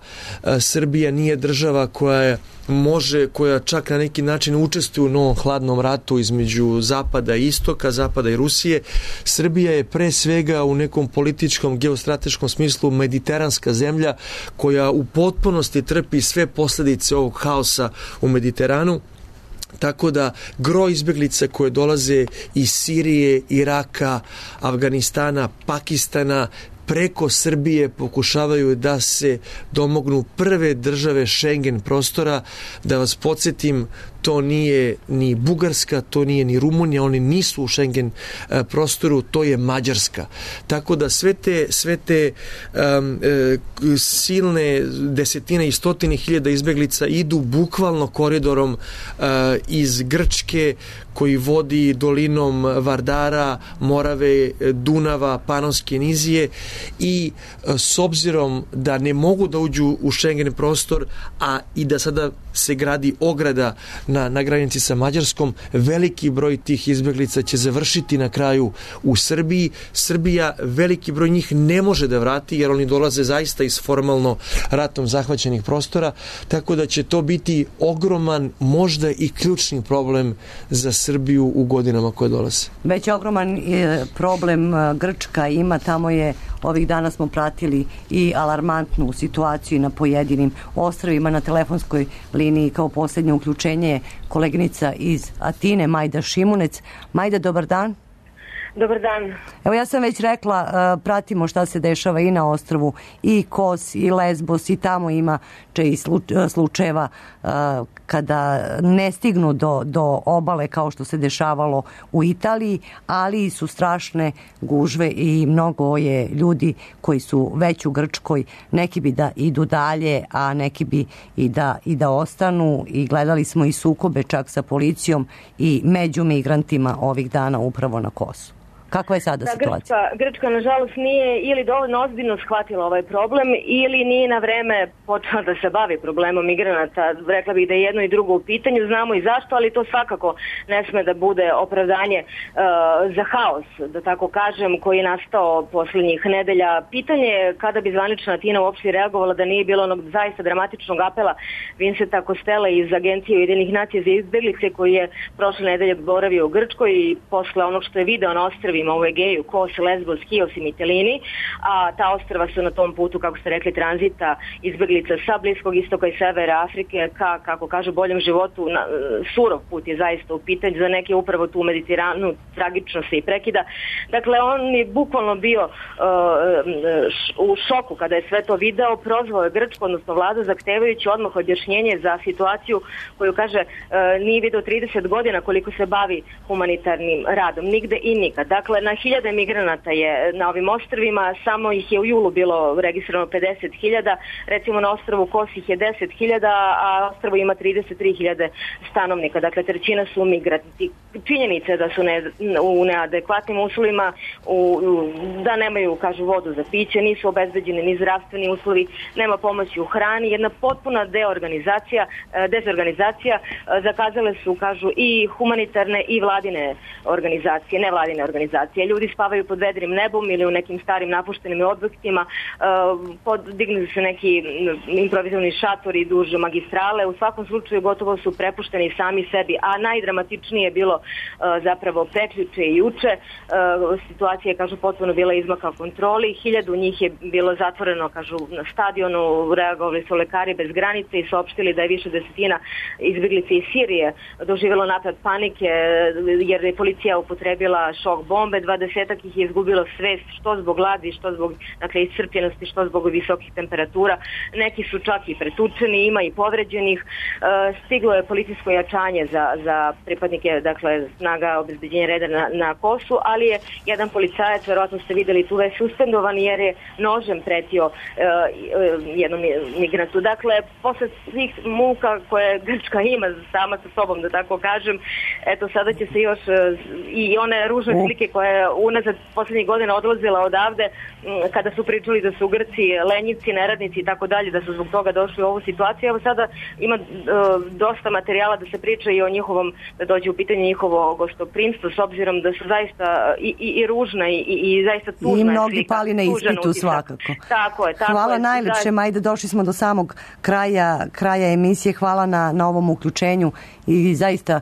Srbija nije država koja čak na neki način učestvuje u novom hladnom ratu između zapada i istoka, zapada i Rusije. Srbija je pre svega u nekom političkom, geostrateškom smislu mediteranska zemlja koja u potpunosti trpi sve posljedice ovog haosa u Mediteranu. Tako da gro izbjeglica koje dolaze iz Sirije, Iraka, Afganistana, Pakistana, preko Srbije pokušavaju da se domognu prve države Schengen prostora. Da vas podsjetim, to nije ni Bugarska, to nije ni Rumunija, oni nisu u Schengen prostoru, to je Mađarska. Tako da sve te silne desetine i stotine hiljada izbjeglica idu bukvalno koridorom iz Grčke, koji vodi dolinom Vardara, Morave, Dunava, Panonske nizije, i s obzirom da ne mogu da uđu u Schengen prostor, a i da sada se gradi ograda na granici sa Mađarskom, veliki broj tih izbjeglica će završiti na kraju u Srbiji. Srbija veliki broj njih ne može da vrati, jer oni dolaze zaista iz formalno ratom zahvaćenih prostora, tako da će to biti ogroman, možda i ključni problem za Srbiju u godinama koje dolaze. Već ogroman problem Grčka ima, tamo je, ovih dana smo pratili i alarmantnu situaciju na pojedinim ostrvima. Na telefonskoj liniji kao posljednje uključenje je koleginica iz Atine, Majda Šimunec. Majda, dobar dan. Dobar dan. Evo, ja sam već rekla, pratimo šta se dešava i na ostrvu, i Kos, i Lesbos, i tamo ima i slučajeva kada ne stignu do obale kao što se dešavalo u Italiji, ali su strašne gužve i mnogo je ljudi koji su već u Grčkoj. Neki bi da idu dalje, a neki bi i da ostanu, i gledali smo i sukobe čak sa policijom i među migrantima ovih dana upravo na Kosu. Kakva je sada situacija? Grčka, nažalost, nije ili dovoljno ozbiljno shvatila ovaj problem, ili nije na vreme počela da se bavi problemom migranata. Rekla bih da je jedno i drugo u pitanju, znamo i zašto, ali to svakako ne sme da bude opravdanje za haos, da tako kažem, koji je nastao posljednjih nedelja. Pitanje je kada bi zvanična Atina uopšte reagovala da nije bilo onog zaista dramatičnog apela Vincenta Kostela iz Agencije Ujedinjenih nacija za izbjeglice, koji je prošle nedelje boravio u Grčkoj i posle onog što je video na ostrvi ostrvima u Egeju, Kos, Lesbos, Kios i Mitilini, a ta ostrva su na tom putu, kako ste rekli, tranzita izbeglica sa Bliskog istoka i severa Afrike ka, kako kažu, boljem životu. Surov put je zaista u pitanju, za neke upravo tu Mediteranu tragično se i prekida. Dakle, on je bukvalno bio u šoku kada je sve to video, prozvao je Grčku, odnosno vladu, zahtevajući odmah objašnjenje za situaciju koju, kaže, nije video 30 godina koliko se bavi humanitarnim radom, nigde i nikad. Dakle, na hiljade migranata je na ovim ostrvima, samo ih je u julu bilo registrovano 50.000, recimo na ostrvu Kos ih je 10.000, a ostrvo ima 33.000 stanovnika, dakle trećina su migranti. Činjenica je da su u neadekvatnim uslovima, da nemaju, kažu, vodu za piće, nisu obezbeđeni ni zdravstveni uslovi, nema pomoći u hrani, jedna potpuna dezorganizacija. Zakazale su, kažu, i humanitarne i vladine organizacije, nevladine organizacije. Ljudi spavaju pod vedrim nebom ili u nekim starim napuštenim objektima, dignuli se neki improvizovani šatori duž magistrale, u svakom slučaju gotovo su prepušteni sami sebi, a najdramatičnije je bilo zapravo prekjuče i juče. Situacija je, kažu, potpuno bila izmaka kontroli, 1000 njih je bilo zatvoreno, kažu, na stadionu, reagovali su lekari bez granice i saopštili da je više desetina izbjeglica iz Sirije doživjelo napad panike jer je policija upotrebila šok bombe, 20 ih je izgubilo svest, što zbog gladi, što zbog, dakle, iscrpljenosti, što zbog visokih temperatura. Neki su čak i pretučeni, ima i povređenih. Stiglo je policijsko jačanje za pripadnike, dakle, snaga obezbeđenja reda na Kosu, ali je jedan policajac, verovatno ste vidjeli tu već, suspendovan jer je nožem pretio jednom migrantu. Dakle, posle svih muka koje Grčka ima sama sa sobom, da tako kažem, eto, sada će se još i one ružne slike koje je unazad posljednjih godina odlazila odavde, kada su pričali da su Grci lenjivci, neradnici i tako dalje, da su zbog toga došli u ovu situaciju. Evo sada ima dosta materijala da se priča i o njihovom, da dođe u pitanje njihovo gostoprimstvo, s obzirom da su zaista i ružna i zaista tužna slika. I mnogi pali na ispitu svakako. Tako je. Hvala najlepše, Majda, došli smo do samog kraja emisije. Hvala na ovom uključenju i zaista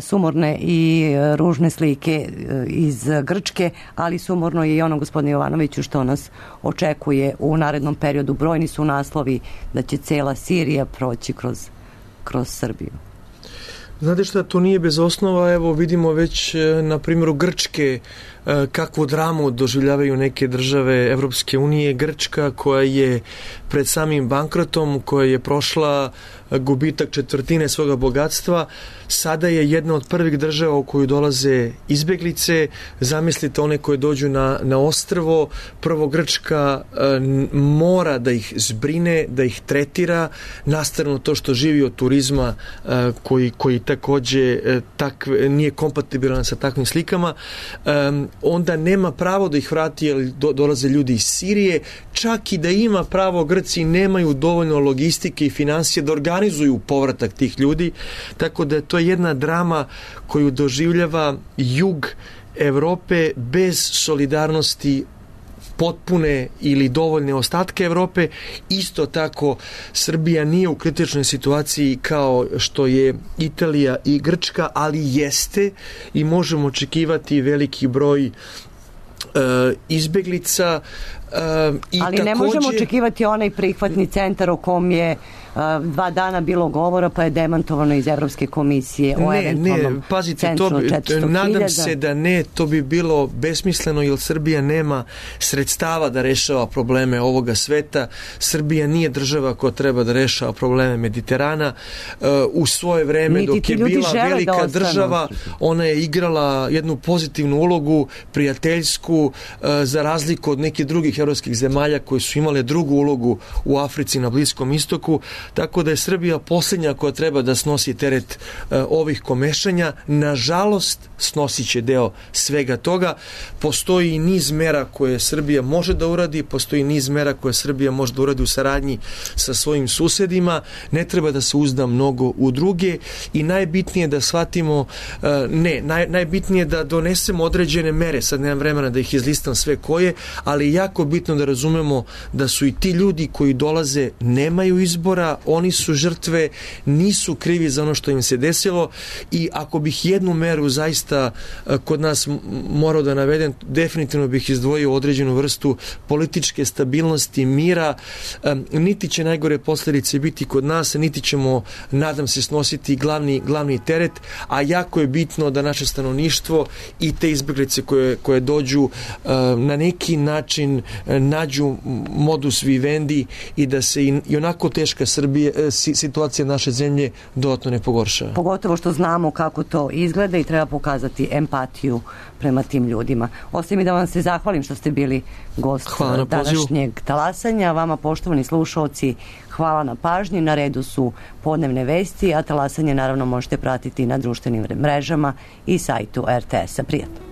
sumorne i ružne slike iz Grčke, ali sumorno je i ono, gospodine Jovanoviću, što nas očekuje u narednom periodu. Brojni su naslovi da će cela Sirija proći kroz Srbiju. Znate šta, to nije bez osnova. Evo, vidimo već na primjeru Grčke kakvu dramu doživljavaju neke države Evropske unije. Grčka, koja je pred samim bankrotom, koja je prošla gubitak 1/4 svoga bogatstva, sada je jedna od prvih država u koju dolaze izbeglice. Zamislite one koje dođu na ostrvo. Prvo, Grčka mora da ih zbrine, da ih tretira, nastavno to što živi od turizma koji takođe nije kompatibilan sa takvim slikama. Onda nema pravo da ih vrati jer dolaze ljudi iz Sirije. Čak i da ima pravo, Grci nemaju dovoljno logistike i financije da organizuju povratak tih ljudi, tako da to je jedna drama koju doživljava jug Evrope bez solidarnosti potpune ili dovoljne ostatke Evrope. Isto tako Srbija nije u kritičnoj situaciji kao što je Italija i Grčka, ali jeste i možemo očekivati veliki broj izbeglica. Ali ne možemo očekivati onaj prihvatni centar o kom je 2 dana bilo govora, pa je demantovano iz Evropske komisije o eventualnom centru od 400.000. Nadam se da ne, to bi bilo besmisleno, jer Srbija nema sredstava da rešava probleme ovoga sveta. Srbija nije država koja treba da rešava probleme Mediterana. U svoje vreme, dok je bila velika država, ona je igrala jednu pozitivnu ulogu, prijateljsku, za razliku od nekih drugih evropskih zemalja koje su imale drugu ulogu u Africi, na Bliskom istoku. Tako da je Srbija posljednja koja treba da snosi teret ovih komešanja. Nažalost, snosit će deo svega toga. Postoji i niz mera koje Srbija može da uradi, postoji niz mera koje Srbija može da uradi u saradnji sa svojim susedima. Ne treba da se uzda mnogo u druge i najbitnije da shvatimo, najbitnije da donesemo određene mere, sad nemam vremena da ih izlistam sve koje, ali jako bitno da razumemo da su i ti ljudi koji dolaze nemaju izbora, oni su žrtve, nisu krivi za ono što im se desilo i ako bih jednu meru zaista kod nas morao da navedem, definitivno bih izdvojio određenu vrstu političke stabilnosti, mira, niti će najgore posljedice biti kod nas, niti ćemo, nadam se, snositi glavni teret, a jako je bitno da naše stanovništvo i te izbjeglice koje dođu na neki način nađu modus vivendi i da se i onako teška situacija naše zemlje dodatno ne pogoršava. Pogotovo što znamo kako to izgleda i treba pokazati empatiju prema tim ljudima. Ostaje mi da vam se zahvalim što ste bili gost današnjeg talasanja. Vama, poštovani slušalci, hvala na pažnji. Na redu su podnevne vesti, a talasanje naravno možete pratiti na društvenim mrežama i sajtu RTS-a. Prijatno.